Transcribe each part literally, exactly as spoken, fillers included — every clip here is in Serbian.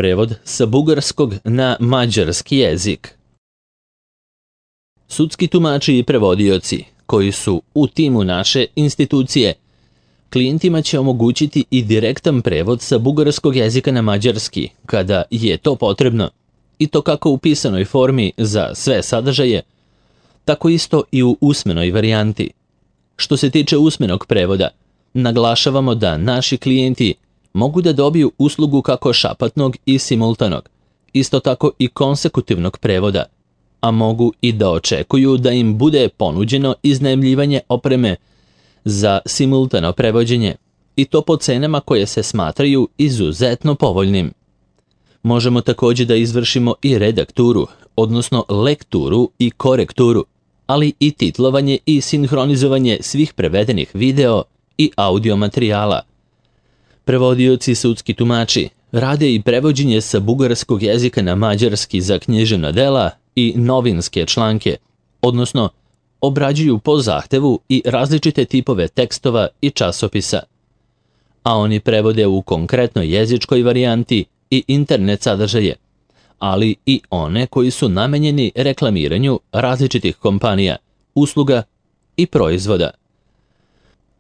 prevod sa bugarskog na mađarski jezik. Sudski tumači i prevodioci koji su u timu naše institucije klijentima će omogućiti i direktan prevod sa bugarskog jezika na mađarski kada je to potrebno, i to kako u pisanoj formi za sve sadržaje, tako isto i u usmenoj varijanti. Što se tiče usmenog prevoda, naglašavamo da naši klijenti mogu da dobiju uslugu kako šapatnog i simultanog, isto tako i konsekutivnog prevoda, a mogu i da očekuju da im bude ponuđeno iznajmljivanje opreme za simultano prevođenje, i to po cenama koje se smatraju izuzetno povoljnim. Možemo također da izvršimo i redakturu, odnosno lekturu i korekturu, ali i titlovanje i sinhronizovanje svih prevedenih video i audio materijala. Prevodioci sudski tumači rade i prevođenje sa bugarskog jezika na mađarski za književna dela i novinske članke, odnosno obrađuju po zahtevu i različite tipove tekstova i časopisa. A oni prevode u konkretnoj jezičkoj varijanti i internet sadržaje, ali i one koji su namenjeni reklamiranju različitih kompanija, usluga i proizvoda.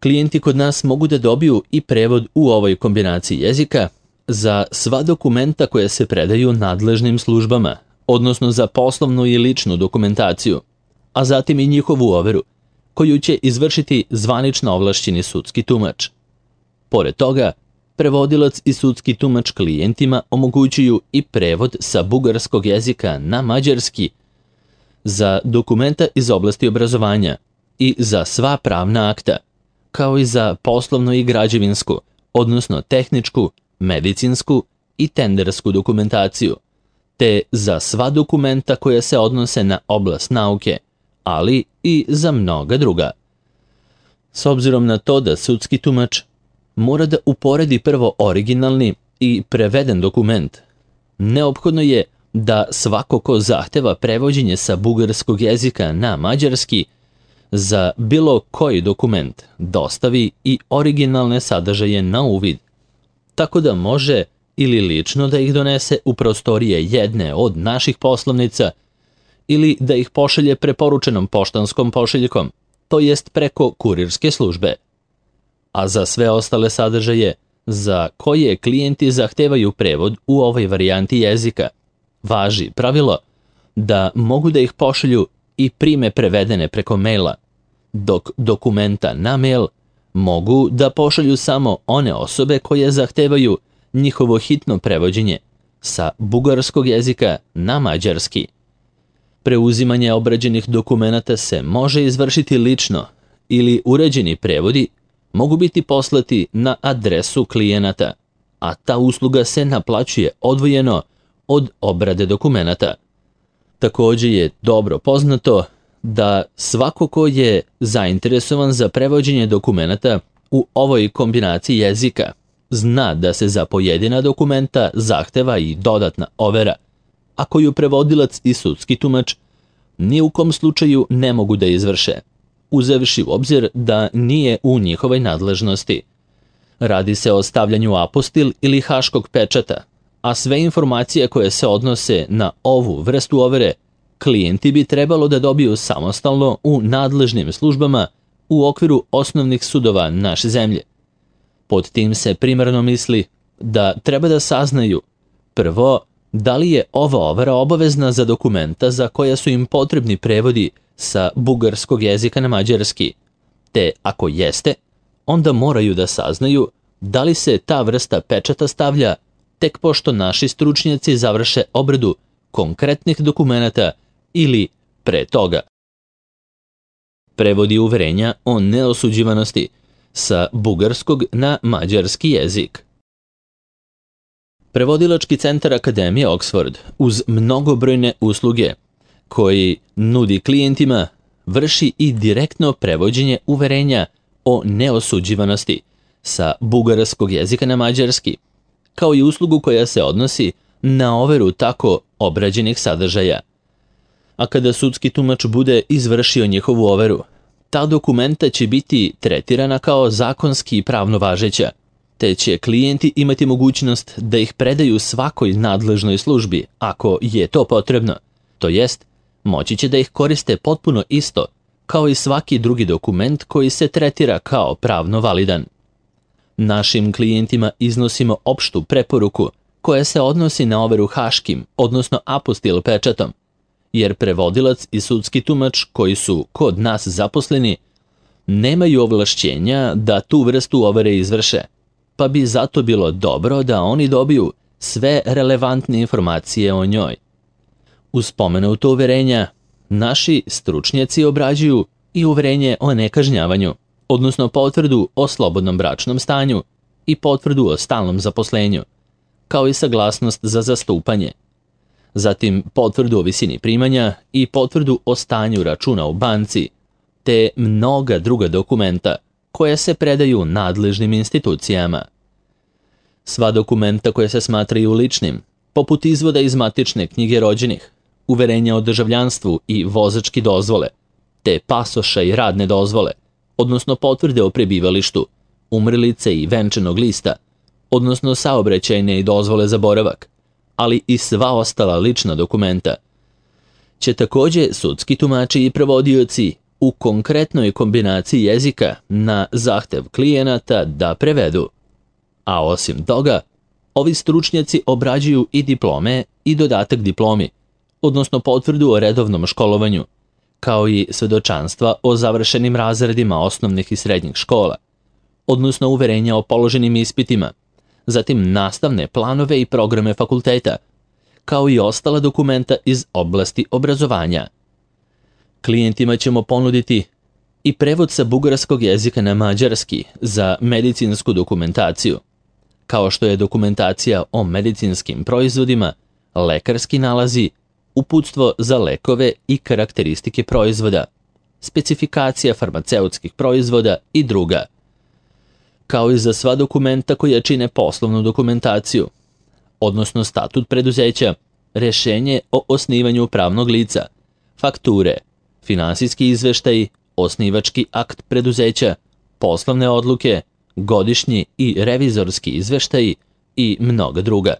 Klijenti kod nas mogu da dobiju i prevod u ovoj kombinaciji jezika za sva dokumenta koje se predaju nadležnim službama, odnosno za poslovnu i ličnu dokumentaciju, a zatim i njihovu overu, koju će izvršiti zvanično ovlašćeni sudski tumač. Pored toga, prevodilac i sudski tumač klijentima omogućuju i prevod sa bugarskog jezika na mađarski za dokumenta iz oblasti obrazovanja i za sva pravna akta, kao i za poslovnu i građevinsku, odnosno tehničku, medicinsku i tendersku dokumentaciju, te za sva dokumenta koja se odnose na oblast nauke, ali i za mnoga druga. S obzirom na to da sudski tumač mora da uporedi prvo originalni i preveden dokument, neophodno je da svako ko zahteva prevođenje sa bugarskog jezika na mađarski za bilo koji dokument dostavi i originalne sadržaje na uvid, tako da može ili lično da ih donese u prostorije jedne od naših poslovnica ili da ih pošalje preporučenom poštanskom pošiljkom, to jest preko kurirske službe. A za sve ostale sadržaje za koje klijenti zahtevaju prevod u ovoj varijanti jezika, važi pravilo da mogu da ih pošalju i prime prevedene preko maila, dok dokumenta na mail mogu da pošalju samo one osobe koje zahtevaju njihovo hitno prevođenje sa bugarskog jezika na mađarski. Preuzimanje obrađenih dokumenata se može izvršiti lično ili uređeni prevodi mogu biti poslati na adresu klijenata, a ta usluga se naplaćuje odvojeno od obrade dokumenata. Također je dobro poznato da svako ko je zainteresovan za prevođenje dokumenata u ovoj kombinaciji jezika zna da se za pojedina dokumenta zahteva i dodatna overa, a koju prevodilac i sudski tumač ni u kom slučaju ne mogu da izvrše, uzevši u obzir da nije u njihovoj nadležnosti. Radi se o stavljanju apostil ili haškog pečata, a sve informacije koje se odnose na ovu vrstu overe klijenti bi trebalo da dobiju samostalno u nadležnim službama u okviru osnovnih sudova naše zemlje. Pod tim se primarno misli da treba da saznaju prvo da li je ova overa obavezna za dokumenta za koja su im potrebni prevodi sa bugarskog jezika na mađarski, te ako jeste, onda moraju da saznaju da li se ta vrsta pečata stavlja tek pošto naši stručnjaci završe obradu konkretnih dokumenata ili pre toga. Prevodi uverenja o neosuđivanosti sa bugarskog na mađarski jezik. Prevodilački centar Akademije Oxford uz mnogobrojne usluge koji nudi klijentima vrši i direktno prevođenje uverenja o neosuđivanosti sa bugarskog jezika na mađarski, kao i uslugu koja se odnosi na overu tako obrađenih sadržaja. A kada sudski tumač bude izvršio njihovu overu, ta dokumenta će biti tretirana kao zakonski i pravno važeća, te će klijenti imati mogućnost da ih predaju svakoj nadležnoj službi ako je to potrebno, to jest moći će da ih koriste potpuno isto kao i svaki drugi dokument koji se tretira kao pravno validan. Našim klijentima iznosimo opštu preporuku koja se odnosi na overu haškim, odnosno apostil pečatom, jer prevodilac i sudski tumač koji su kod nas zaposleni nemaju ovlašćenja da tu vrstu overe izvrše, pa bi zato bilo dobro da oni dobiju sve relevantne informacije o njoj. Uz spomenuto uverenja, naši stručnjaci obrađuju i uverenje o nekažnjavanju, odnosno potvrdu o slobodnom bračnom stanju i potvrdu o stalnom zaposlenju, kao i saglasnost za zastupanje. Zatim potvrdu o visini primanja i potvrdu o stanju računa u banci, te mnoga druga dokumenta koja se predaju nadležnim institucijama. Sva dokumenta koja se smatraju ličnim, poput izvoda iz matične knjige rođenih, uverenja o državljanstvu i vozački dozvole, te pasoša i radne dozvole, odnosno potvrde o prebivalištu, umrlice i venčanog lista, odnosno saobraćajne i dozvole za boravak, ali i sva ostala lična dokumenta, će takođe sudski tumači i prevodioci u konkretnoj kombinaciji jezika na zahtev klijenata da prevedu. A osim toga, ovi stručnjaci obrađuju i diplome i dodatak diplomi, odnosno potvrdu o redovnom školovanju, kao i svedočanstva o završenim razredima osnovnih i srednjih škola, odnosno uverenja o položenim ispitima, zatim nastavne planove i programe fakulteta, kao i ostala dokumenta iz oblasti obrazovanja. Klijentima ćemo ponuditi i prevod sa bugarskog jezika na mađarski za medicinsku dokumentaciju, kao što je dokumentacija o medicinskim proizvodima, lekarski nalazi, uputstvo za lekove i karakteristike proizvoda, specifikacija farmaceutskih proizvoda i druga, kao i za sva dokumenta koja čine poslovnu dokumentaciju, odnosno statut preduzeća, rešenje o osnivanju pravnog lica, fakture, finansijski izveštaj, osnivački akt preduzeća, poslovne odluke, godišnji i revizorski izveštaj i mnoga druga.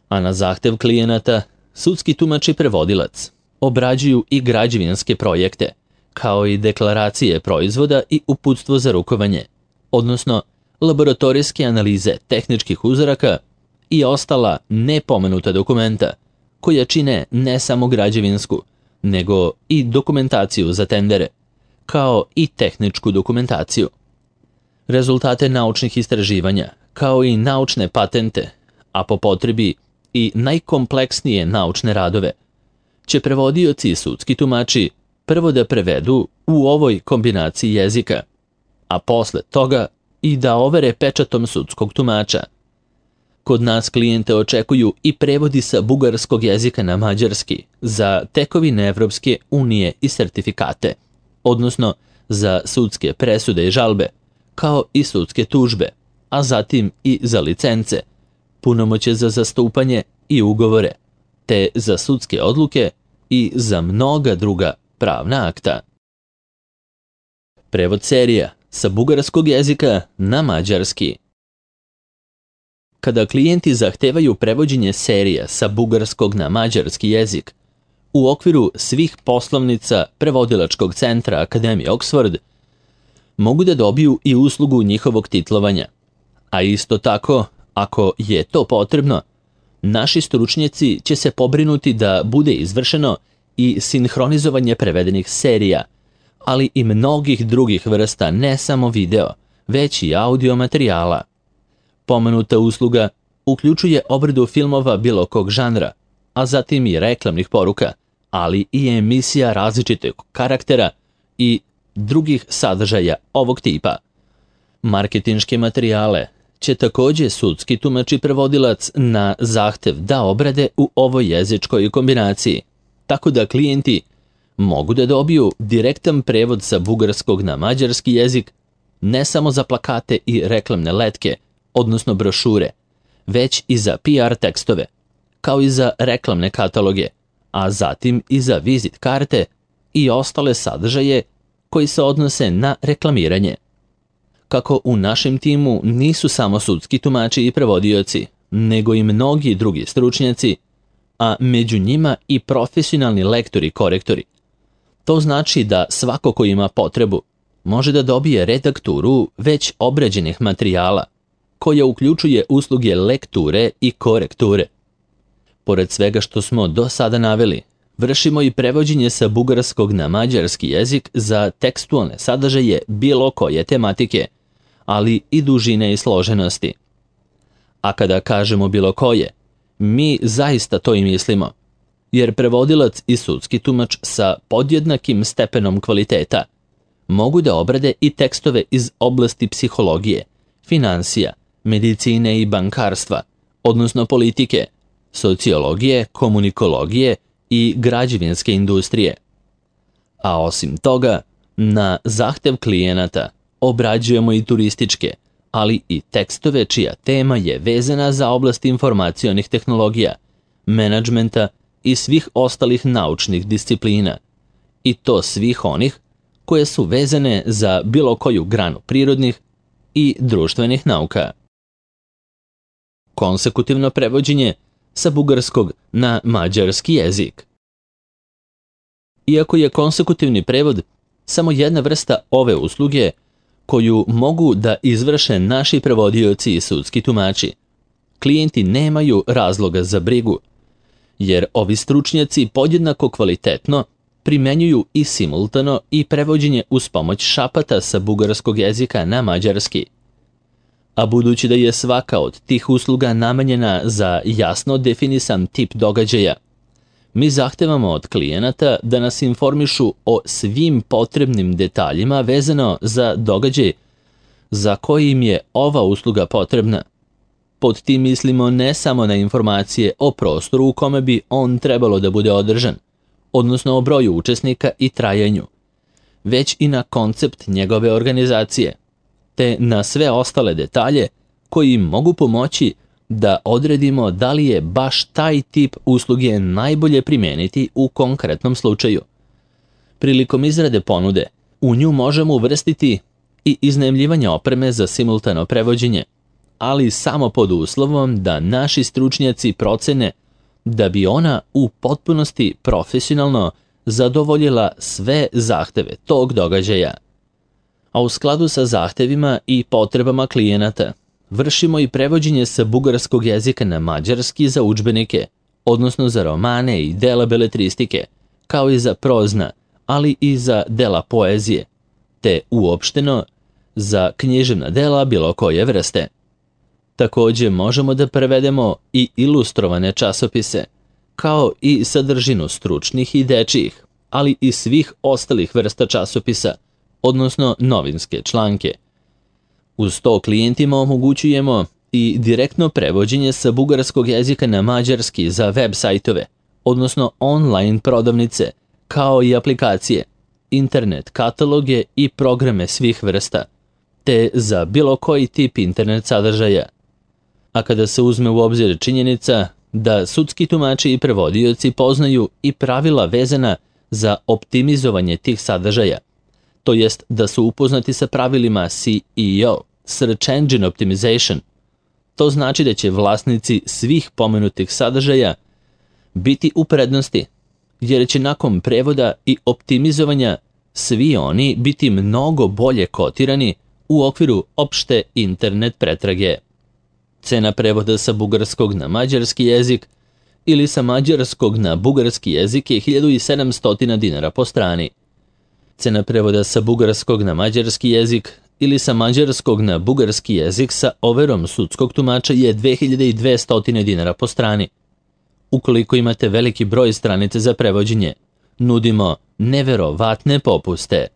A na zahtev klijenata, sudski tumač i prevodilac obrađuju i građevinske projekte, kao i deklaracije proizvoda i uputstvo za rukovanje, odnosno laboratorijske analize tehničkih uzoraka i ostala nepomenuta dokumenta, koja čine ne samo građevinsku, nego i dokumentaciju za tendere, kao i tehničku dokumentaciju. Rezultate naučnih istraživanja, kao i naučne patente, a po potrebi i najkompleksnije naučne radove, će prevodioci i sudski tumači prvo da prevedu u ovoj kombinaciji jezika, a posle toga i da overe pečatom sudskog tumača. Kod nas klijente očekuju i prevodi sa bugarskog jezika na mađarski za tekovine Evropske unije i sertifikate, odnosno za sudske presude i žalbe, kao i sudske tužbe, a zatim i za licence, punomoćje za zastupanje i ugovore, te za sudske odluke i za mnoga druga pravna akta. Prevod serija sa bugarskog jezika na mađarski. Kada klijenti zahtevaju prevođenje serija sa bugarskog na mađarski jezik, u okviru svih poslovnica prevodilačkog centra Akademije Oxford, mogu da dobiju i uslugu njihovog titlovanja, a isto tako, ako je to potrebno, naši stručnjaci će se pobrinuti da bude izvršeno i sinhronizovanje prevedenih serija, ali i mnogih drugih vrsta ne samo video, već i audio materijala. Pomenuta usluga uključuje obradu filmova bilo kog žanra, a zatim i reklamnih poruka, ali i emisija različitog karaktera i drugih sadržaja ovog tipa. Marketinške materijale će takođe sudski tumač i prevodilac na zahtev da obrade u ovoj jezičkoj kombinaciji, tako da klijenti mogu da dobiju direktan prevod sa bugarskog na mađarski jezik ne samo za plakate i reklamne letke, odnosno brošure, već i za P R tekstove, kao i za reklamne kataloge, a zatim i za vizit karte i ostale sadržaje koji se odnose na reklamiranje. kako u našem timu nisu samo sudski tumači i prevodioci, nego i mnogi drugi stručnjaci, a među njima i profesionalni lektori i korektori. To znači da svako ko ima potrebu može da dobije redakturu već obrađenih materijala, koja uključuje usluge lekture i korekture. Pored svega što smo do sada naveli, vršimo i prevođenje sa bugarskog na mađarski jezik za tekstualne sadržaje bilo koje tematike, ali i dužine i složenosti. A kada kažemo bilo koje, mi zaista to i mislimo, jer prevodilac i sudski tumač sa podjednakim stepenom kvaliteta mogu da obrade i tekstove iz oblasti psihologije, finansija, medicine i bankarstva, odnosno politike, sociologije, komunikologije i građevinske industrije. A osim toga, na zahtev klijenata obrađujemo i turističke, ali i tekstove čija tema je vezana za oblast informacionih tehnologija, menadžmenta i svih ostalih naučnih disciplina, i to svih onih koje su vezane za bilo koju granu prirodnih i društvenih nauka. Konsekutivno prevođenje sa bugarskog na mađarski jezik. Iako je konsekutivni prevod samo jedna vrsta ove usluge koju mogu da izvrše naši prevodioci i sudski tumači, klijenti nemaju razloga za brigu, jer ovi stručnjaci podjednako kvalitetno primenjuju i simultano i prevođenje uz pomoć šapata sa bugarskog jezika na mađarski. A budući da je svaka od tih usluga namenjena za jasno definisan tip događaja, mi zahtevamo od klijenata da nas informišu o svim potrebnim detaljima vezano za događaj za koji im je ova usluga potrebna. Pod tim mislimo ne samo na informacije o prostoru u kome bi on trebalo da bude održan, odnosno o broju učesnika i trajanju, već i na koncept njegove organizacije, te na sve ostale detalje koji im mogu pomoći da odredimo da li je baš taj tip usluge najbolje primijeniti u konkretnom slučaju. Prilikom izrade ponude, u nju možemo uvrstiti i iznajmljivanje opreme za simultano prevođenje, ali samo pod uslovom da naši stručnjaci procene da bi ona u potpunosti profesionalno zadovoljila sve zahteve tog događaja. A u skladu sa zahtevima i potrebama klijenata, vršimo i prevođenje sa bugarskog jezika na mađarski za udžbenike, odnosno za romane i dela beletristike, kao i za prozna, ali i za dela poezije, te uopšteno za književna dela bilo koje vrste. Također možemo da prevedemo i ilustrovane časopise, kao i sadržinu stručnih i dečijih, ali i svih ostalih vrsta časopisa, odnosno novinske članke. Uz to klijentima omogućujemo i direktno prevođenje sa bugarskog jezika na mađarski za web sajtove, odnosno online prodavnice, kao i aplikacije, internet kataloge i programe svih vrsta, te za bilo koji tip internet sadržaja. A kada se uzme u obzir činjenica da sudski tumači i prevodioci poznaju i pravila vezana za optimizovanje tih sadržaja, to jest da su upoznati sa pravilima S E O, Search Engine Optimization, to znači da će vlasnici svih pomenutih sadržaja biti u prednosti, jer će nakon prevoda i optimizovanja svi oni biti mnogo bolje kotirani u okviru opšte internet pretrage. Cena prevoda sa bugarskog na mađarski jezik ili sa mađarskog na bugarski jezik je hiljadu sedamsto dinara po strani. Cena prevoda sa bugarskog na mađarski jezik ili sa mađarskog na bugarski jezik sa overom sudskog tumača je dve hiljade dvesta dinara po strani. Ukoliko imate veliki broj stranica za prevođenje, nudimo neverovatne popuste.